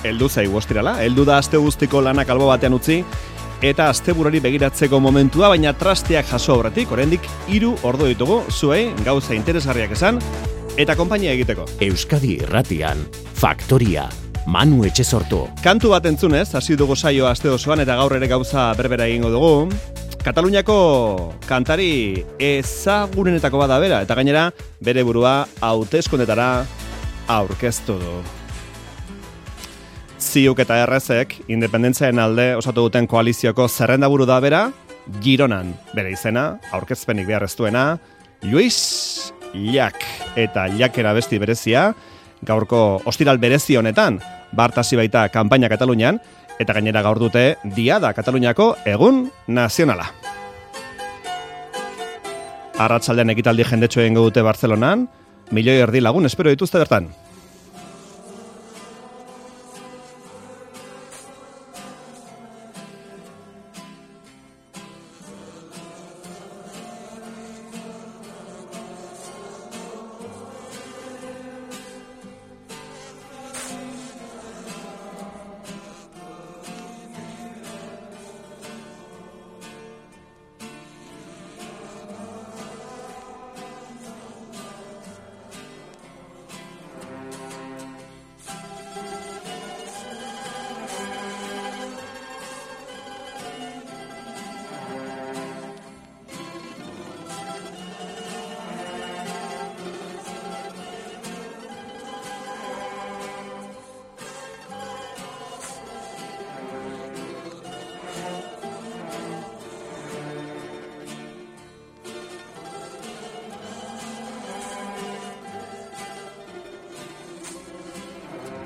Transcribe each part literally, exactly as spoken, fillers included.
heldu zaigu ostirala, heldu da aste guztiko lanak albo batean utzi, eta asteburari begiratzeko momentua, baina trasteak jaso aurretik, oraindik hiru ordu ditugu, zuei gauza interesgarriak esan, eta konpainia egiteko. Euskadi Irratian, Faktoria, Manu Etxesortu. Kantu bat entzunez, hasi dugu saioa aste osoan, eta gaur ere gauza berbera egingo dugu. Kataluniako kantari ezagunenetako bada bera, eta gainera bere burua hauteskundetara aurkeztu du. Ziuk eta errezek, independentziaren alde osatu duten koalizioko zerrendaburu da bera, Gironan bere izena, aurkezpenik behar ez duena, Luis Llach, eta Llachera besti berezia, gaurko ostiral berezi honetan, bartasi baita kanpaina Katalunian, eta gainera gaur dute Diada Kataluniako egun nazionala. Arratsaldean ekitaldi jendetxo egingo dute Bartzelonan, milioi erdi lagun espero dituzte bertan.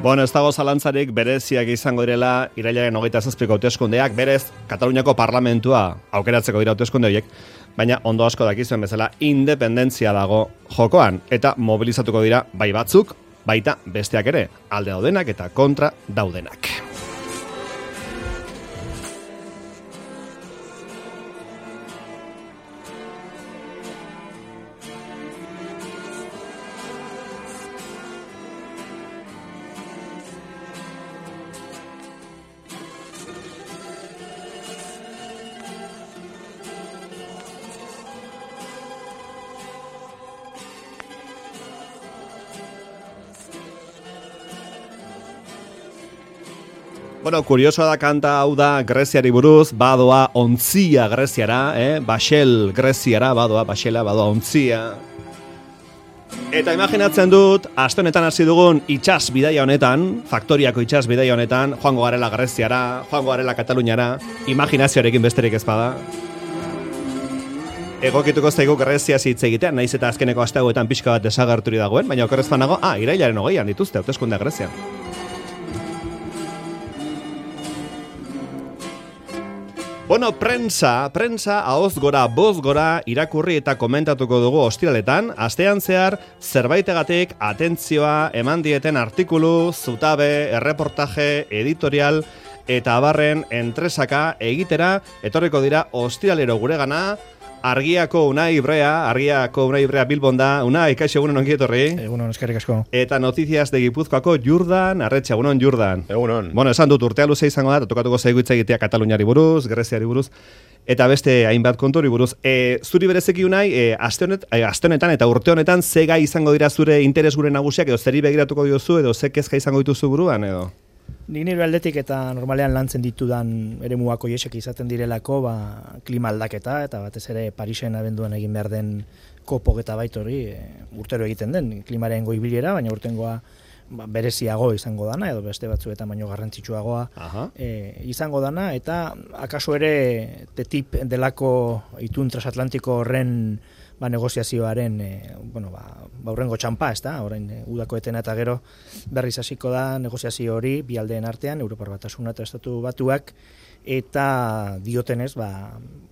Bueno, ez dago zalantzarik bereziak izango direla irailaren hogeita zazpiko hauteskundeak, berez Kataluniako parlamentua aukeratzeko dira hauteskunde horiek, baina ondo asko dakizuen bezala independentzia dago jokoan, eta mobilizatuko dira bai batzuk, baita besteak ere, alde daudenak eta kontra daudenak. Bueno, kuriosoa da kanta hau da Greziari buruz, badoa ontzia Greziara, eh? Baxel Greziara, badoa, Baxela, badoa ontzia. Eta imaginatzen dut, aste honetan hasi dugun itsas bidaia honetan, Faktoriako itsas bidaia honetan, joango garela Greziara, joango garela Kataluniara, imaginazioarekin besterik ez bada. Egokituko zaigu Grezia hitz egitean, naiz eta azkeneko aste hauetan pixka bat desagerturi dagoen, baina okerrez banago, ah, irailaren hogeian dituzte hauteskundeak Grezian. Bueno, prensa, prensa, ahoz gora, boz gora, irakurri eta komentatuko dugu ostiraletan, astean zehar, zerbaitegatik atentzioa eman dieten artikulu, zutabe, erreportaje, editorial, eta abarren entresaka egitera, etorriko dira ostiralero guregana, Argiako Unai Ibrea, Argiako Unai Ibrea Bilbon da. Unai, kaixo, egunon ongi etorri. Egunon, eskerrik asko. Eta Noticias de Gipuzkoako Jurdan Arretxe, egunon Jurdan. Egunon. Bueno, esan dut urtea luze izango da, tokatuko zaigu hitz egitea Kataluniari buruz, Greziari buruz, eta beste hainbat konturi buruz. E, zuri berezeki Unai, e, aste honet, e, aste honetan eta urte honetan ze gai izango dira zure interes gure nagusiak, edo zeri begiratuko diozu, edo ze kezka izango dituzu buruan, edo? Nik nire aldetik eta normalean lantzen ditudan eremuak horiek izaten direlako, ba, klima aldaketa, eta batez ere Parisen abenduan egin behar den kopoketa baitori e, urtero egiten den klimaren goibilera, baina urtengoa ba, bereziago izango dana, edo beste batzuetan baino garrantzitsuagoa e, izango dana, eta akaso ere T T I P delako itun transatlantiko horren ba, negoziazioaren e, bueno, ba, ba, urrengo txampa, ez da, orain e, udako etena eta gero berriz hasiko da negoziazio hori bi aldeen artean, Europar Batasuna eta Estatu Batuak, eta diotenez, ba,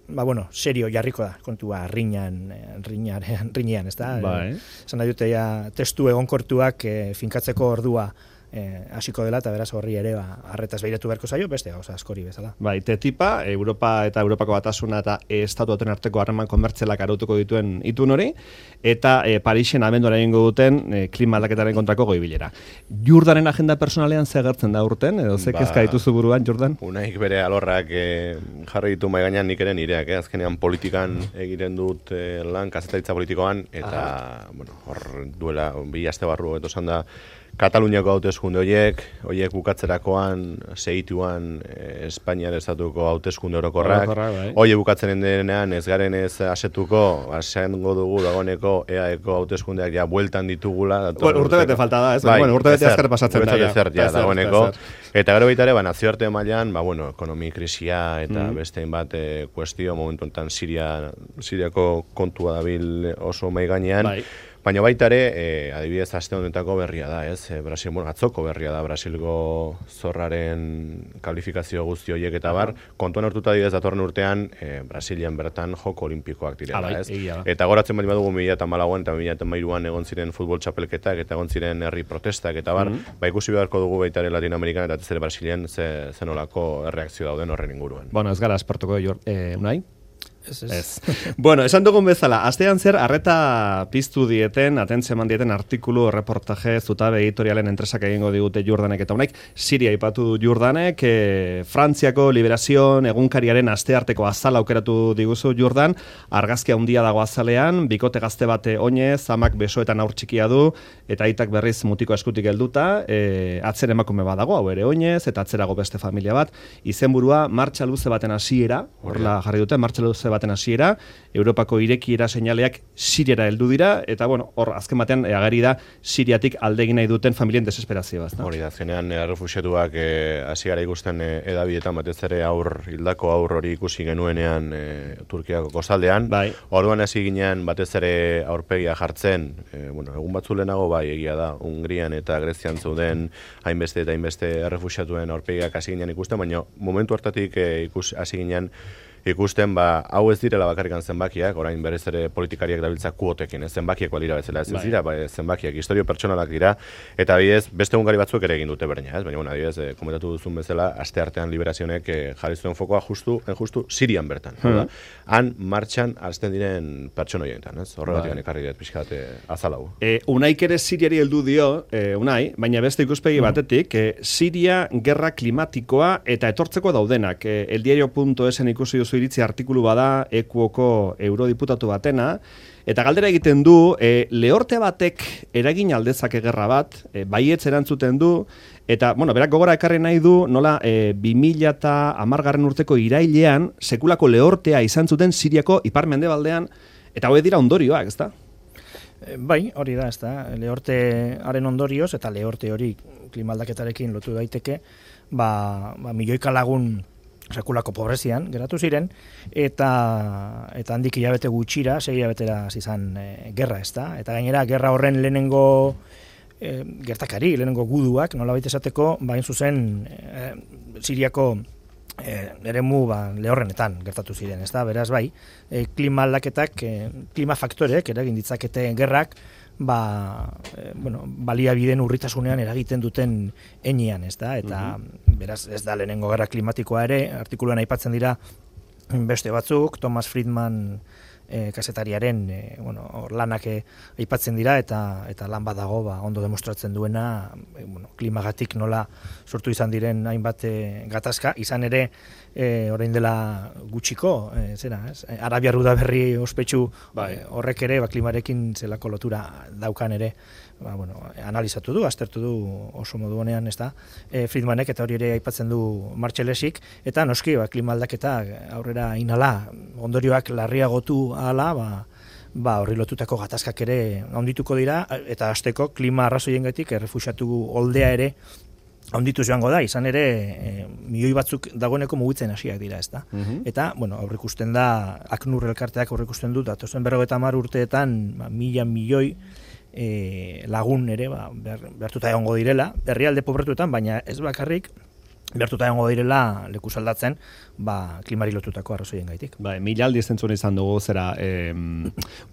ba bueno, serio jarriko da, kontua riñan, riñan, riñan, ez da? Bai. Esan nahi dute ja, testu egonkortuak e, finkatzeko ordua hasiko dela, eta beraz horri ere ba, arretaz behiratu beharko zaio, beste gauza askori bezala. Bai, T-tipa, Europa eta Europako Batasuna eta estatuaten arteko harreman komertzialak arautuko dituen itun hori, eta e, Parisen abenduan egingo duten e, klima aldaketaren kontrako goi-bilera. Jordanen agenda personalean ze agertzen da urten, edo ze kezka dituzu buruan, Jordan? Unaik bere alorrak e, jarri ditu mai gainean nik ere nireak, eh? Azkenean politikan egiten dut e, lan, kazetaritza politikoan, eta, Aha. bueno, hor duela, bi aste barru, eto da, Kataluniako hauteskunde horiek, horiek bukatzerakoan, segituan eh, Espainiar estatuko hauteskunde orokorrak, bai. horiek bukatzen denean ez garen ez asetuko, asengo dugu dagoeneko E A Eko hauteskundeak ja bueltan ditugula. Bueno, urte bete falta da, ez? Bai, bueno, urte bete azkar pasatzen da. Zer, ja, dagoeneko. Eta gero baita ere, ba, nazioarte mailan, ba, bueno, ekonomi krisia eta mm. beste bat e, kuestio, momentu enten Siria, Siriako kontua dabil oso mai gainean. Bai. Baina baita ere, e, adibidez, aste honetako berria da, ez? E, Brasil, bueno, atzoko berria da, Brasilgo zorraren kalifikazio guzti horiek eta bar, kontuan hartuta adibidez datorren urtean, e, Brasilian bertan joko olimpikoak direla, ez? Egia. Eta goratzen bali badugu mila eta malauan eta mila eta mairuan egon ziren futbol txapelketak eta egon ziren herri protestak eta bar, mm-hmm. ba ikusi beharko dugu baita ere Latinoamerikan eta zer Brasilian ze, zenolako erreakzio dauden horren inguruan. Bueno, ez gara esportuko eh, unai? Ez, ez. ez. Bueno, esan dugun bezala, astean zer arreta piztu dieten, atentzio eman dieten artikulu, reportaje, zutabe editorialen entresak egingo digute Jordanek eta honek, Siria ipatu du Jordanek, e, Frantziako Liberazion egunkariaren astearteko azala aukeratu diguzu Jordan, argazki handia dago azalean, bikote gazte bate oinez, amak besoetan aur txikia du, eta aitak berriz mutiko eskutik helduta, e, atzen emakume badago, hau ere oinez, eta atzerago beste familia bat, izenburua martxa luze baten hasiera, horla jarri dute, martxa luze baten hasiera, Europako irekiera seinaleak Siriara heldu dira, eta bueno, hor azken batean ageri da Siriatik aldegin nahi duten familien desesperazioa. Hori da, azkenean errefuxiatuak hasi gara ikusten e, edabietan batez ere aur, hildako aur hori ikusi genuenean e, Turkiako kostaldean. Bai. Orduan hasi ginean batez ere aurpegia jartzen, e, bueno, egun batzu lehenago bai egia da, Hungrian eta Grezian zeuden hainbeste eta hainbeste errefuxiatuen aurpegiak hasi ginean ikusten, baina momentu hartatik e, ikus hasi ginean ikusten, ba, hau ez direla bakarrikan zenbakiak, orain berez ere politikariak dabiltza kuotekin, ez zenbakiak balira bezala, ez, ez dira, ba, zenbakiak, historio pertsonalak dira, eta adibidez, beste ungari batzuek ere egin dute berdina, ez, baina, bueno, adibidez, e, komentatu duzun bezala, aste artean Liberazionek e, jarri zuen fokoa justu, justu Sirian bertan, hmm. da? Han martxan hasten diren pertsona horietan, ez, horregatik ekarri dut pixkat e, azalau. E, unaik ere Siriari heldu dio, e, unai, baina beste ikuspegi hmm. batetik, e, Siria gerra klimatikoa eta etortzeko daudenak, e, eldiario punto esen ikusi duzu iritzi artikulu bada Ekuoko eurodiputatu batena, eta galdera egiten du, e, lehorte batek eragin aldezake gerra bat, e, baietz erantzuten du, eta, bueno, berak gogora ekarri nahi du, nola, e, bi mila hamargarren urteko irailean, sekulako lehortea izan zuten Siriako ipar-mendebaldean, eta hau dira ondorioak, ezta? Bai, hori da, ezta. Lehortearen ondorioz, eta lehorte hori klimaldaketarekin lotu daiteke, ba, ba milioika lagun sekulako pobrezian geratu ziren, eta eta handik hilabete gutxira, sei hilabetera izan e, gerra, ezta? Eta gainera, gerra horren lehenengo e, gertakari, lehenengo guduak, nolabait esateko, bain zuzen e, Siriako e, eremu ba, lehorrenetan gertatu ziren, ezta? Beraz, bai, e, klima aldaketak, e, klima faktorek eragin ditzakete gerrak, ba, e, bueno, baliabideen urritasunean eragiten duten enean, ez da? Eta mm-hmm. beraz ez da lehenengo gerra klimatikoa ere, artikuluan aipatzen dira beste batzuk, Thomas Friedman e, kazetariaren e, bueno, lanak e, aipatzen dira eta eta lan badago ba, ondo demostratzen duena e, bueno, klimagatik nola sortu izan diren hainbat e, gatazka, izan ere E, orain dela gutxiko, e, zera, ez? Arabiar udaberri ospetsu bai. e, horrek ere, ba, klimarekin zelako lotura daukan ere, ba, bueno, analizatu du, aztertu du oso modu honean, ez da, e, Friedmanek eta hori ere aipatzen du Marcellesik, eta noski, ba, klima aldaketa aurrera inala, ondorioak larriagotu ahala, ba, ba, horri lotutako gatazkak ere handituko dira, eta hasteko klima arrazoiengatik errefuxiatu oldea ere handitu joango da, izan ere e, milioi batzuk dagoeneko mugitzen hasiak dira, ezta. Mm-hmm. Eta, bueno, aurrikusten da, ACNUR elkarteak aurrikusten du, datozen berrogeita hamar urteetan, ba, mila milioi e, lagun ere, ba, behar, behartuta egongo direla, herrialde pobretuetan, baina ez bakarrik, bertuta egongo direla leku aldatzen, ba, klimari lotutako arrazoien gaitik. Bai, mila aldiz entzun izan dugu zera eh,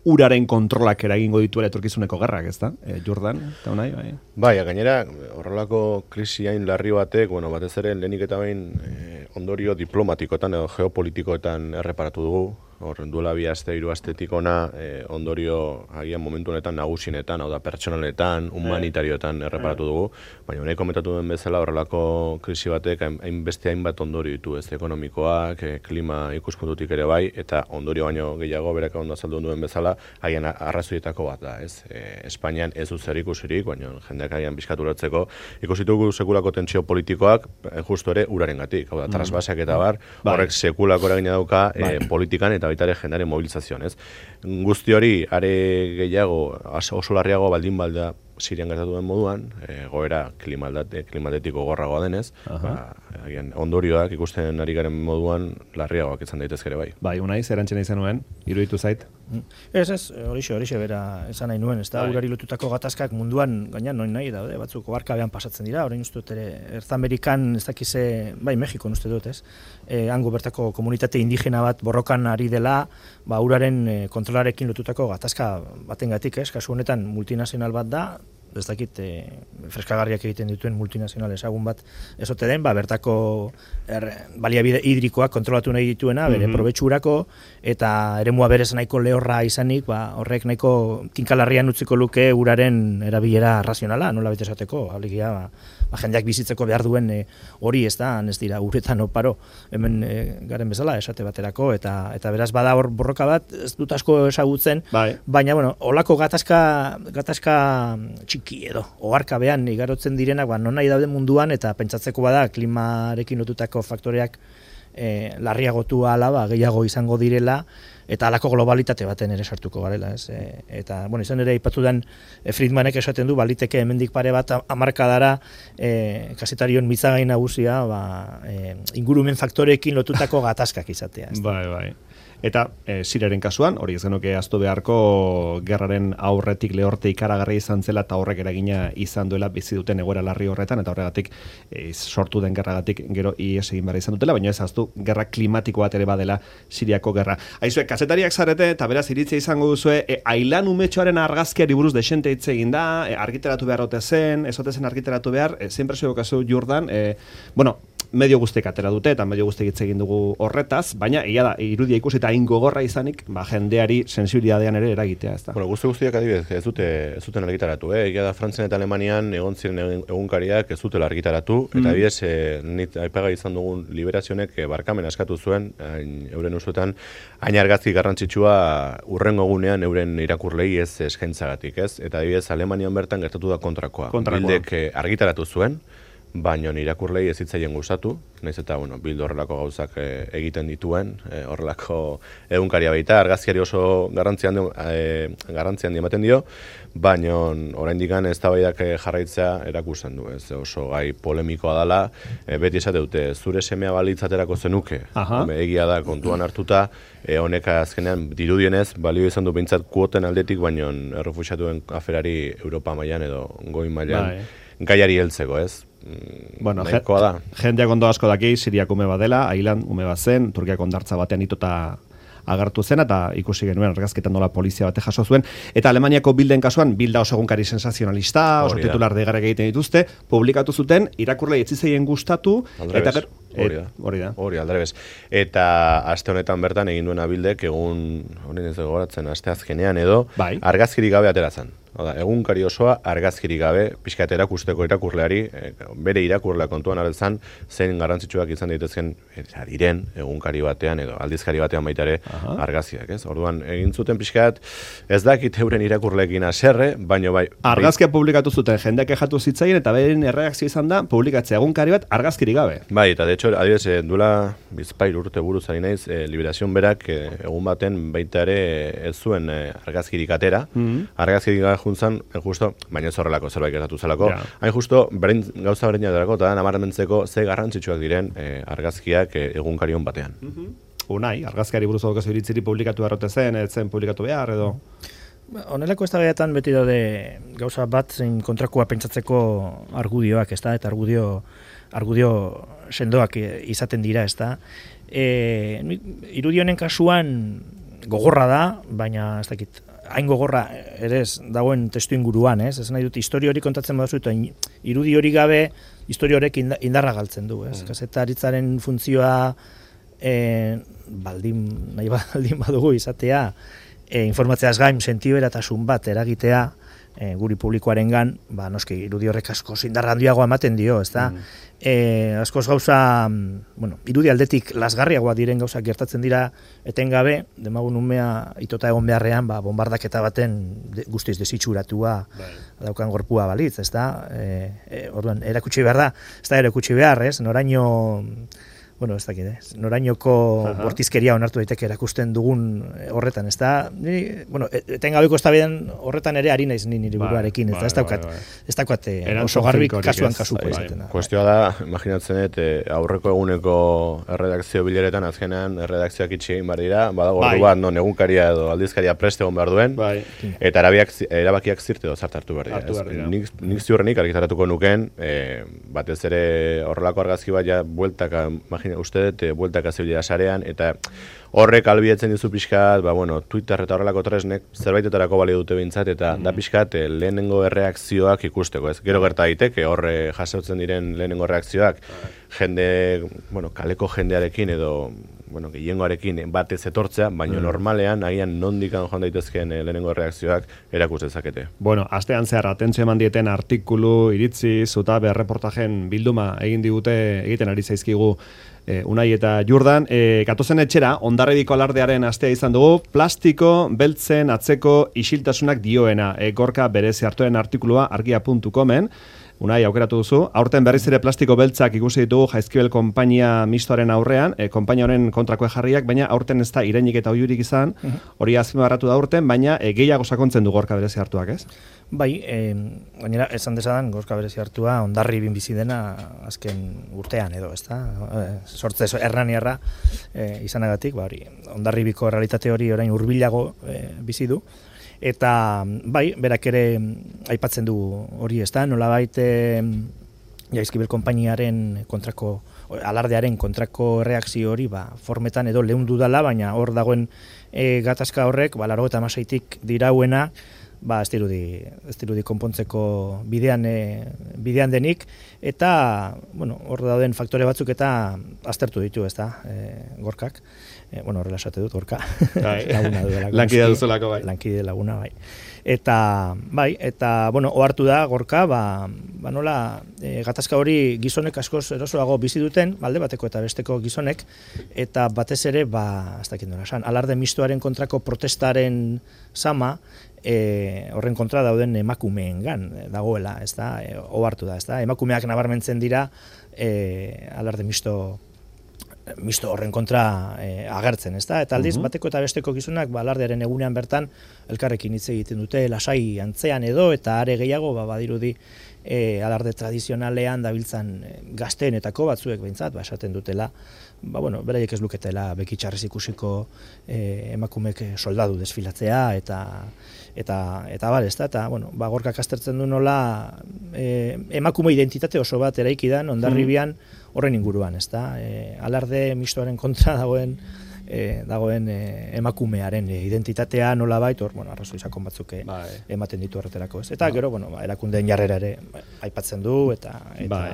uraren kontrolak eragingo dituela etorkizuneko gerrak, ez da? Eh, Jordan, eta honai, bai. Bai, gainera, horrelako krisi hain larri batek, bueno, batez ere lehenik eta bain eh, ondorio diplomatikoetan edo geopolitikoetan erreparatu dugu. Hor, duela bi aste, hiru astetik ona, eh, ondorio agian momentu honetan nagusinetan, hau da pertsonaletan, humanitarioetan erreparatu dugu, baina honek komentatu duen bezala horrelako krisi batek hainbeste hainbat ondorio ditu, ez ekonomikoak, eh, klima ikuspuntutik ere bai, eta ondorio baino gehiago berak ondo azaldu duen bezala, haien arrazoietako bat da, ez? Eh, Espainian ez du zer ikusirik, baina jendeak haien bizkaturatzeko, ikusitugu sekulako tentsio politikoak, eh, justo ere urarengatik, hau da, trasbasak eta bar, horrek sekulako eragina dauka eh, politikan eta baita ere jendearen mobilizazioan, ez? Guzti hori, are gehiago, oso larriago baldin balda Sirian gertatu den moduan, e, goera klimatetiko gorragoa denez, ba, agian, ondorioak ikusten ari garen moduan larriagoak izan daitezke ere bai. Bai, unai, zer antzena izan nuen, iruditu zait? Ez, ez, horixe, horixe bera esan nahi nuen, ez da, urari lotutako gatazkak munduan gaina noin nahi daude, batzuk oarkabean pasatzen dira, orain uste dut ere, Ertz Amerikan, ez dakize, bai, Mexikon uste dut, ez, e, hango bertako komunitate indigena bat borrokan ari dela, ba, uraren e, kontrolarekin lotutako gatazka batengatik, ez, kasu honetan multinazional bat da, ez dakit, e, freskagarriak egiten dituen multinazional ezagun bat ezote den, ba, bertako er, baliabide hidrikoak kontrolatu nahi dituena, bere mm-hmm. probetxurako, eta eremua berez nahiko lehorra izanik, ba, horrek nahiko tinkalarrian utziko luke uraren erabilera razionala, nola bete esateko, alegia, ba, ba, jendeak bizitzeko behar duen e, hori ez da, ez dira, uretan oparo, hemen e, garen bezala, esate baterako, eta eta beraz bada hor borroka bat, ez dut asko ezagutzen, bai. Baina, bueno, olako gatazka, gatazka txiki edo, oharkabean igarotzen direnak, ba, non nahi daude munduan, eta pentsatzeko bada, klimarekin lotutako faktoreak e, larriagotu ala, ba, gehiago izango direla, eta halako globalitate baten ere sartuko garela, ez? E, eta, bueno, izan ere aipatu den e, Friedmanek esaten du, baliteke hemendik pare bat hamarkadara e, kazetarion mitzagai nagusia, ba, e, ingurumen faktoreekin lotutako gatazkak izatea. Ez? Bai, bai. Eta e, Siriaren kasuan, hori ez genuke aztu beharko gerraren aurretik lehorte ikaragarri izan zela eta horrek eragina izan duela bizi duten egoera larri horretan, eta horregatik e, sortu den gerragatik gero ies egin behar izan dutela, baina ez aztu gerra klimatiko bat ere badela Siriako gerra. Aizue, kazetariak zarete eta beraz iritzia izango duzue, e, ailan umetxoaren argazkiari buruz desente hitz egin da, e, argitaratu behar ote zen, ez ote zen argitaratu behar, e, zein presio kasu Jordan, e, bueno, medio guztiek atera dute eta medio guztiek hitz egin dugu horretaz, baina egia da, irudia ikusi eta hain gogorra izanik, ba, jendeari sensibilidadean ere eragitea, ez da. Bueno, guzti guztiak adibidez, ez dute ez duten argitaratu, eh? Egia da Frantzian eta Alemanian egon ziren egunkariak ez dutela argitaratu, mm. eta adibidez, eh, nit aipaga izan dugun liberazionek eh, barkamen askatu zuen, hain, euren usuetan, hain argazki garrantzitsua urrengo egunean euren irakurlei ez eskaintzagatik, ez? Eta adibidez, Alemanian bertan gertatu da kontrakoa. Kontrakoa. Bildek eh, argitaratu zuen, baina irakurlei ez hitzaien gustatu, naiz eta bueno, Bildu horrelako gauzak e, egiten dituen, e, horrelako egunkaria baita, argazkiari oso garrantzi handi, e, garrantzi handi ematen dio, baina oraindikan eztabaidak jarraitzea erakusten du, ez oso gai polemikoa dela, e, beti esate dute, zure semea balitzaterako zenuke, Home, egia da kontuan hartuta, e, honek azkenean dirudienez, balio izan du behintzat kuoten aldetik, baina errefuxiatuen aferari Europa mailan edo goi mailan, gaiari heltzeko, ez? Bueno, da. Jendeak ondo asko daki, Siriak ume badela, Ailan ume bat zen, Turkiak ondartza batean itota agertu zen, eta ikusi genuen argazketan nola polizia bate jaso zuen, eta Alemaniako Bilden kasuan, Bilda oso egunkari sensazionalista, oso titular deigarriak egiten dituzte, publikatu zuten, irakurlei etzizeien gustatu, eta ger... Hori da, hori da. Hori aldrebez. Eta aste honetan bertan egin duena Bildek, egun, hori ez gogoratzen, aste azkenean edo, bai. Argazkirik gabe ateratzen. Oda, egunkari osoa argazkirik gabe, pixkat erakusteko irakurleari, e, bere irakurlea kontuan hartzen, zein garrantzitsuak izan daitezken diren egunkari batean edo aldizkari batean baita ere argazkiak, ez? Orduan, egin zuten pixkat, ez dakit euren irakurleekin haserre, baino bai... Argazkia publikatu zuten, jendeak kexatu zitzaien, eta beren erreakzio izan da, publikatzea egunkari bat argazkirik gabe. Bai, eta de hecho, adibidez, eh, duela bizpair urte buruz ari naiz, eh, Liberazion berak eh, egun baten baita ere ez zuen eh, argazkirik atera, mm-hmm. argazkirik juntzan, justo, baina ez horrelako zerbait gertatu zelako, yeah. hain justo, berein, gauza berein jaterako, eta nabarmentzeko ze garrantzitsuak diren eh, argazkiak eh, egunkarion batean. Mm-hmm. Unai, argazkiari buruz daukazu iritziri publikatu beharrote zen, etzen publikatu behar, edo... Honelako eztabaidetan beti daude gauza bat zein kontrakoa pentsatzeko argudioak, ez da, eta argudio argudio sendoak izaten dira, ez da. E, irudi honen kasuan gogorra da, baina ez dakit, hain gogorra ere ez dagoen testu inguruan, ez? Ez nahi dut, historia hori kontatzen baduzu, eta irudi hori gabe, historia horrek indarra galtzen du, ez? Mm. Kazetaritzaren funtzioa e, baldin, nahi baldin badugu izatea, e, informatzeaz gain sentiberatasun bat eragitea, E, guri publikoarengan, ba, noski, irudi horrek asko indarra handiagoa ematen dio, ez da? Mm. E, askoz gauza, bueno, irudi aldetik lasgarriagoa diren gauzak gertatzen dira etengabe, demagun umea itota egon beharrean, ba, bombardaketa baten de, guztiz desitxuratua daukan gorpua balitz, ez da? E, e, orduan, erakutsi behar da, ez da erakutsi behar, ez? Noraino... Bueno, ez dakit, eh? Norainoko bortizkeria onartu daiteke erakusten dugun horretan, ez da? Ni, bueno, etengabeko eztabaidan horretan ere ari naiz ni nire buruarekin, ez da? Ez daukat, ez daukat oso garbi kasuan kasuko izaten da. Kuestioa da, imaginatzen dut, aurreko eguneko erredakzio bileretan azkenean erredakzioak itxi egin behar dira, badago ordu bat, non egunkaria edo aldizkaria preste egon behar duen, eta erabakiak zirt edo zart hartu behar dira. Nik ziurrenik argitaratuko nuken, batez ere horrelako argazki bat ja bueltaka, uste dut, bueltaka zebilea sarean, eta horrek albietzen dizu pixkat, ba, bueno, Twitter eta horrelako tresnek zerbaitetarako balio dute bintzat, eta mm. da pixkat lehenengo erreakzioak ikusteko, ez? Gero gerta daiteke, horre jasotzen diren lehenengo reakzioak, jende, bueno, kaleko jendearekin edo, bueno, gehiengoarekin batez etortzea, baina mm. normalean, agian nondikan joan daitezkeen lehenengo reakzioak erakus dezakete. Bueno, astean zehar atentzio eman dieten artikulu, iritzi, zutabe, erreportajen bilduma egin digute, egiten ari zaizkigu E, Unai eta Jordan, e, gatozen etxera, Hondarribiko alardearen astea izan dugu, plastiko, beltzen, atzeko, isiltasunak dioena, e, Gorka berezi hartuen artikulua argia puntu comen, Unai, aukeratu duzu, aurten berriz ere plastiko beltzak ikusi ditugu Jaizkibel konpainia mistoaren aurrean, e, konpainia honen kontrako jarriak, baina aurten ez da irenik eta oiurik izan, hori azpimarratu da aurten, baina e, gehiago sakontzen du Gorka berezi hartuak, ez? Bai, e, gainera, esan desadan, Gorka berezi hartua, Hondarribin bizi dena azken urtean edo, ez da? E, sortze erraniarra e, izanagatik, ba, hori, Hondarribiko realitate hori orain hurbilago e, bizi du. Eta, bai, berak ere aipatzen du hori, ez da, nolabait e, Jaizkibel konpainiaren kontrako, alardearen kontrako erreakzio hori, ba, formetan edo leundu dala, baina hor dagoen e, gatazka horrek, ba, laurogeita hamaseitik dirauena, ba, ez dirudi, ez dirudi konpontzeko bidean, e, bidean denik, eta, bueno, hor dauden faktore batzuk eta aztertu ditu, ez da, e, Gorkak. E, bueno, horrela esate dut, Gorka. Laguna duela. Lankide duzulako, bai. Lankide laguna, bai. Eta, bai, eta, bueno, ohartu da, Gorka, ba, ba nola, e, gatazka hori gizonek askoz erosoago bizi duten, alde bateko eta besteko gizonek, eta batez ere, ba, ez dakit nola esan, alarde mistoaren kontrako protestaren sama, e, horren kontra dauden emakumeengan dagoela, ez da, e, ohartu da, ez da, emakumeak nabarmentzen dira, e, alarde misto misto horren kontra e, agertzen, ezta? Eta aldiz, uh-huh. bateko eta besteko gizonak, ba, alardearen egunean bertan, elkarrekin hitz egiten dute, lasai antzean edo, eta are gehiago, ba, badirudi, e, alarde tradizionalean dabiltzan e, gazteenetako batzuek behintzat, ba, esaten dutela, ba, bueno, beraiek ez luketela bekitxarrez ikusiko e, emakumek soldadu desfilatzea, eta eta eta bar, ezta? Eta, bueno, ba, Gorkak aztertzen du nola e, emakume identitate oso bat eraiki da Hondarribian horren inguruan, ezta? E, alarde mistoaren kontra dagoen e, dagoen e, emakumearen e, identitatea nolabait, hor, bueno, arrazoi sakon batzuk e, bai. ematen ditu horretarako, ez? Eta ba. Gero, bueno, ba, erakundeen jarrera ere aipatzen du eta eta bai.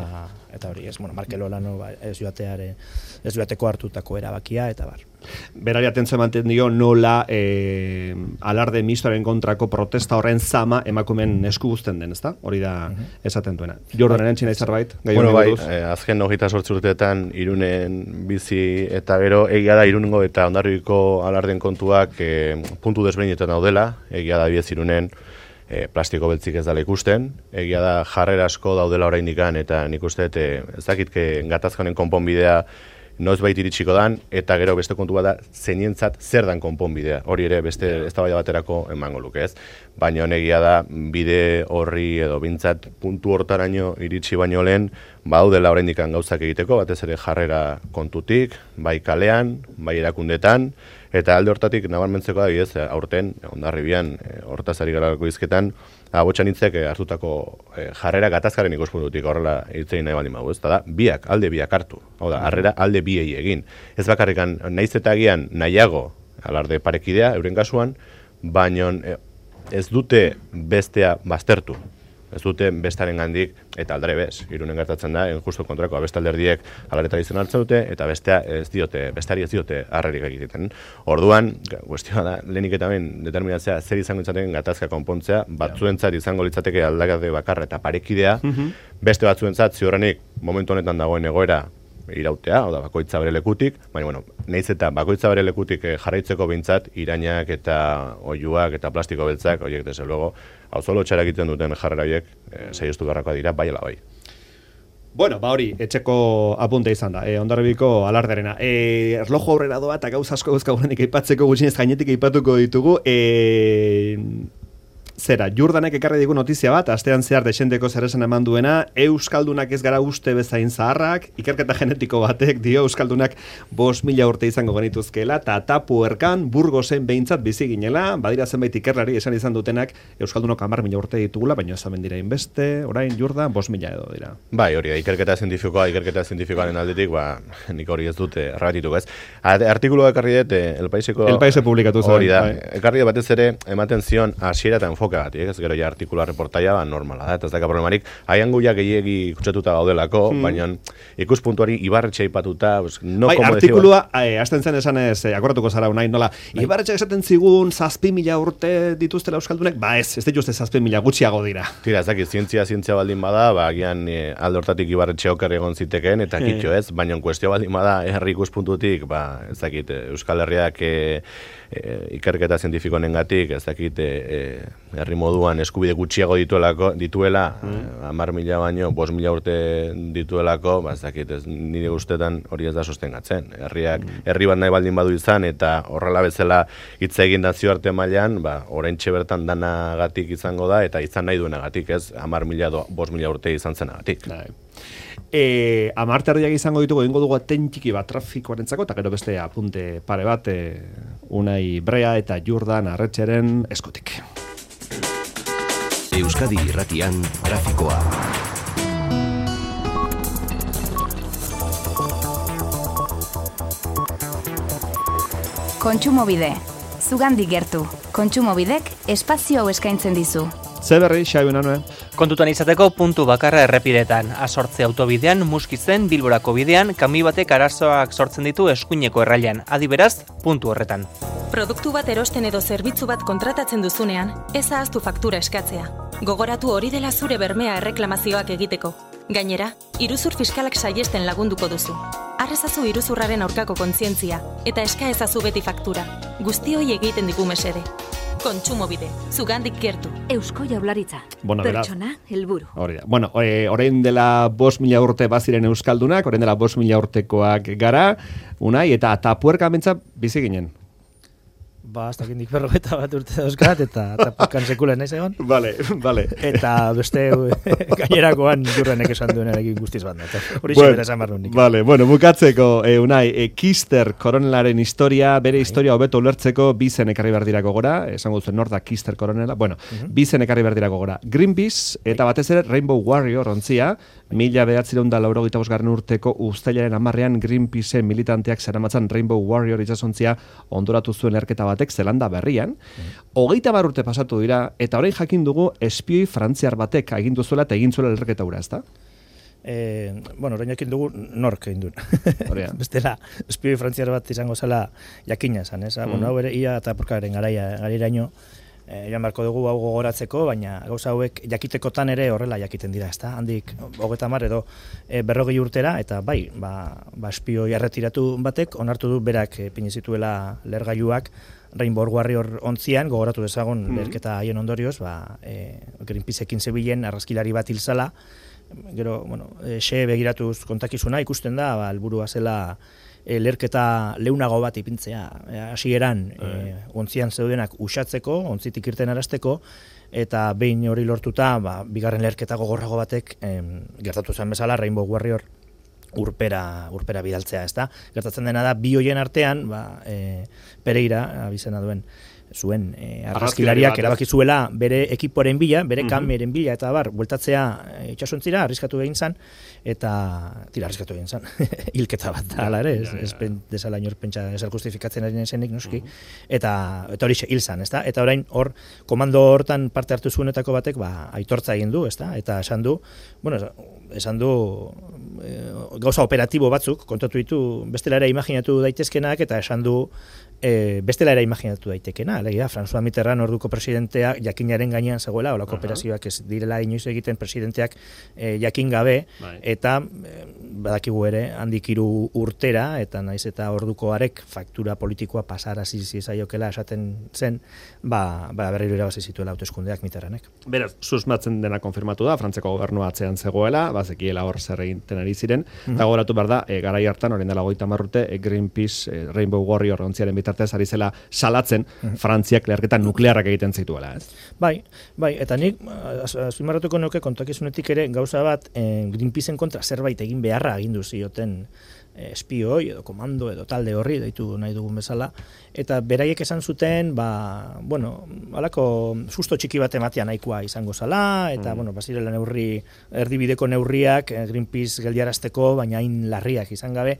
eta hori, ez, bueno, Markel Olano ba, ez joateare ez joateko hartutako erabakia eta bar. Berari atentzio ematen dio nola e, alarde mistoaren kontrako protesta horren zama emakumen esku guzten den, ezta? Hori da uh-huh. esaten duena. Jordanen txina zerbait? Bueno, bai, eh, azken hogeita zortzi urteetan Irunen bizi eta gero egia da Irungo eta Hondarribiko alarden kontuak eh, puntu desberdinetan daudela, egia da biez Irunen eh, plastiko beltzik ez dela ikusten, egia da jarrera asko daudela oraindikan eta nik uste eh, ez dakitke gatazkonen konponbidea noiz bait iritsiko dan, eta gero beste kontu bat da, zeinentzat zer dan konponbidea. Hori ere beste eztabaida baterako emango luke, ez? Baina honegia da, bide horri edo bintzat puntu hortaraino iritsi baino lehen, badaudela oraindik gauzak egiteko, batez ere jarrera kontutik, bai kalean, bai erakundetan, eta alde hortatik nabarmentzeko da, bidez, aurten, Hondarribian, hortaz ari garako izketan, abotxanitzek hartutako jarrera gatazkaren ikuspuntutik horrela hitzein nahi baldin bagu, ez da, biak, alde biak hartu, hau da, harrera alde biei egin. Ez bakarrikan, naiz eta agian nahiago, alarde parekidea, euren kasuan, baino ez dute bestea baztertu. Ez dute bestaren gandik, eta aldare bez, irunen gertatzen da, justu kontrako, beste alderdiek alareta izan hartzen dute, eta bestea ez diote, bestari ez diote harrerik egiten. Orduan, kuestioa da, lehenik eta ben, determinatzea, zer izango itzaten gatazka konpontzea, batzuentzat izango litzateke aldakade bakarra eta parekidea, beste batzuentzat ziurrenik momentu honetan dagoen egoera irautea, oda bakoitza bere lekutik, baina, bueno, nahiz eta bakoitza bere lekutik jarraitzeko behintzat, irainak eta oiuak eta plastiko beltzak, horiek desde luego, hau zolo txara egiten duten jarrera horiek, e, saiostu beharrakoa dira, bai ala bai. Bueno, ba hori, etxeko apunte izan da, e, Hondarribiko alarderena. E, erlojo aurrera doa eta gauz asko guzkagurenik aipatzeko gutxinez gainetik aipatuko ditugu, e... Zera, Jordanek ekarri digu notizia bat, astean zehar desendeko zeresan eman duena, Euskaldunak ez gara uste bezain zaharrak, ikerketa genetiko batek dio Euskaldunak bost mila urte izango genituzkela, eta tapu erkan Burgosen behintzat bizi ginela, badira zenbait ikerlari esan izan dutenak Euskaldunok hamar mila urte ditugula, baina ez amen dira inbeste, orain Jordan bost mila edo dira. Bai, hori, ikerketa zientifikoa, ikerketa zientifikoaren aldetik, ba, nik hori ez dute erratitu, ez? Artikuloa ekarri dut, El Paiseko... El Paise publikatu zen. Hori da, ekarri batez ere, ematen zion hasiera eta enfokatik, ez gero ja artikuloa reportaia ba, normala da, eta ez daka problemarik, haian guiak gehiegi kutsatuta gaudelako, hmm. baina ikuspuntuari Ibarretxe aipatuta, pues, no bai, como artikulua, eh, azten zen esan ez, eh, akordatuko zara unai, nola, bai. Ibarretxe esaten zigun zazpi mila urte dituztela Euskaldunek, ba ez, ez dituzte zazpi mila gutxiago dira. Tira, ez dakit, zientzia, zientzia baldin bada, ba, agian eh, alde hortatik Ibarretxe oker egon zitekeen, eta kitxo ez, baina kuestio baldin bada, herri ikuspuntutik, ba, ez dakit, Euskal Herriak eh, eh, ikerketa zientifiko nengatik, ez dakit, eh, herri moduan eskubide gutxiago dituelako, dituela, hamar mila baino, bost mila urte dituelako, ba, ez dakit, ez, nire ustetan hori ez da sostengatzen. Herriak, herri bat nahi baldin badu izan, eta horrela bezala hitz egin nazioarte mailan, ba, oraintxe bertan danagatik izango da, eta izan nahi duenagatik, ez, hamar mila, bost mila urte izan zenagatik. E, amarterriak izango ditugu egingo dugu atentiki bat trafikoarentzako eta gero beste apunte pare bat e, Unai Brea eta Jordan Arretxeren eskutik. Euskadi Irratian trafikoa. Kontsumobide. Zugandik gertu. Kontsumobidek espazio hau eskaintzen dizu. Ze berri, Xabi Nanue? Kontutan izateko puntu bakarra errepidetan. Asortze autobidean, Muskizen, Bilborako bidean, kami batek arazoak sortzen ditu eskuineko errailan. Adi beraz, puntu horretan. Produktu bat erosten edo zerbitzu bat kontratatzen duzunean, ez ahaztu faktura eskatzea. Gogoratu hori dela zure bermea erreklamazioak egiteko. Gainera, iruzur fiskalak saiesten lagunduko duzu. Arrezazu iruzurraren aurkako kontzientzia, eta eska ezazu beti faktura. Guztioi egiten digu mesede. Kontsumobide, zugandik gertu. Eusko Jaurlaritza. Bueno, pertsona, helburu. Hori da. Bueno, e, orain dela bost mila urte baziren Euskaldunak, orain dela bost mila urtekoak gara, Unai, eta tapuerka mentza bizi ginen. Ba, hasta kindik berrogeta bat urte dauzkat, eta tapuerkan sekulen naiz egon. Vale, vale. Eta beste gainerakoan Jurrenek esan duenarekin guztiz banda. Hori bueno, xebera esan barru nik. Vale, bueno, bukatzeko, e, Unai, e, Kister koronelaren historia, bere historia hobeto ulertzeko bizen ekarri behar dirako gora, esango duzen nor da Kister koronela, bueno, uh-huh. bizen ekarri behar dirako gora. Greenpeace, eta batez ere Rainbow Warrior ontzia, mila bederatziehun eta laurogeita bosgarren urteko uztailaren hamarrean Greenpeace militanteak zeramatzan Rainbow Warrior itsasontzia ondoratu zuen erketa batek Zelanda berrian. Hogeita bar urte pasatu dira, eta orain jakin dugu espioi frantziar batek agindu zuela eta egin zuela erketa hura, ezta? Eh, bueno, orain jakin dugu nork egin duen. Bestela, espioi frantziar bat izango zela jakina esan, ez? Mm. Bueno, hau ere, ia eta porkaren garaia, garairaino, Eh, joan beharko dugu hau gogoratzeko, baina gauza hauek jakitekotan ere horrela jakiten dira, ezta? Handik hogeita hamar edo e, berrogei urtera, eta bai, ba, ba espioi erretiratu batek, onartu du berak e, pini zituela lehergailuak Rainbow Warrior ontzian, gogoratu dezagun mm-hmm. leherketa haien ondorioz, ba, e, Greenpeaceekin zebilen argazkilari bat hilzala, gero, bueno, e, xe begiratuz kontakizuna ikusten da, ba, helburua zela E, lerketa leunago bat ipintzea, hasieran e, ontzian zeudenak usatzeko, ontzitik irten arasteko, eta behin hori lortuta, ba, bigarren leherketa gogorrago batek em, gertatu zen bezala Rainbow Warrior urpera, urpera bidaltzea, ezta? Gertatzen dena da, bi hoien artean, ba, e, Pereira, abizena duen, zuen e, argazkilariak erabaki zuela bere ekiporen bila, bere uh-huh. kameren bila, eta bar, bueltatzea e, itxasontzira, arriskatu egin zan, eta tira arriskatu egin zan, hilketa bat da, ala ere, ez, ez desala inor pentsa ezer justifikatzen ari nesenik, noski, uh-huh. eta, eta hori hil zan, ezta? Eta orain, hor, komando hortan parte hartu zuenetako batek, ba, aitortza egin du, ezta? Eta esan du, bueno, esan du e, gauza operatibo batzuk, kontatu ditu, bestela ere imaginatu daitezkenak, eta esan du E, bestela ere imaginatu daitekena, alegia, François Mitterrand orduko presidentea jakinaren gainean zegoela, olako uh-huh. operazioak ez direla inoiz egiten presidenteak e, jakin gabe, bai. eta e, badakigu ere handik hiru urtera, eta naiz eta orduko arek faktura politikoa pasarazi zizaiokela esaten zen, ba, ba berriro irabazi zituela hauteskundeak Mitterrandek. Beraz, susmatzen dena konfirmatu da, Frantzeko gobernua atzean zegoela, bazekiela hor zer egiten ari ziren, eta uh-huh. gogoratu behar da, e, garai hartan, orain dela hogeita hamar urte, e, Greenpeace, e, Rainbow Warrior ontziaren bitartez ari zela salatzen uh-huh. Frantziak leherketa nuklearrak egiten zituela, ez? Bai, bai, eta nik azpimarratuko nuke kontakizunetik ere gauza bat eh, Greenpeaceen kontra zerbait egin beharra agindu zioten eh, espioi edo komando edo talde horri deitu nahi dugun bezala, eta beraiek esan zuten, ba, bueno, halako susto txiki bat ematea nahikoa izango zala, eta, mm. bueno, bazirela neurri, erdibideko neurriak eh, Greenpeace geldiarazteko, baina hain larriak izan gabe,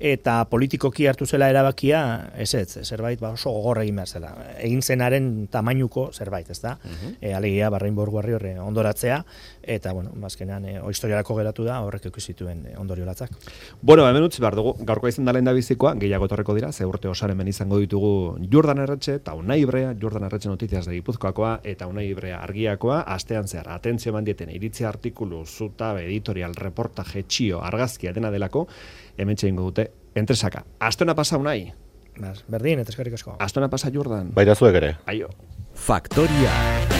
eta politikoki hartu zela erabakia, ez ez, zerbait ba oso gogorra egin behar zela. Egin zenaren tamainuko zerbait, ez da? Uh-huh. E, alegia, Rainbow Warrior ondoratzea, eta, bueno, azkenean, e, historiarako geratu da, horrek zituen e, ondorio latzak. Bueno, hemen utzi behar dugu, gaurko izan da lehen da bizikoa, gehiago etorreko dira, ze urte osaren ben izango ditugu Jordan Erretxe, eta Unai Ibrea, Jordan Erretxe Notiziaz de Gipuzkoakoa, eta Unai Ibrea argiakoa, astean zehar, atentzio eman dieten, iritzia artikulu, zutabe, editorial, reportaje, txio, argazkia, dena delako, hemen txeingo dute, entresaka. Astona pasa Unai? Berdin, eta eskerrik asko. Astona pasa Jordan? Baita zuek ere. Aio. Faktoria.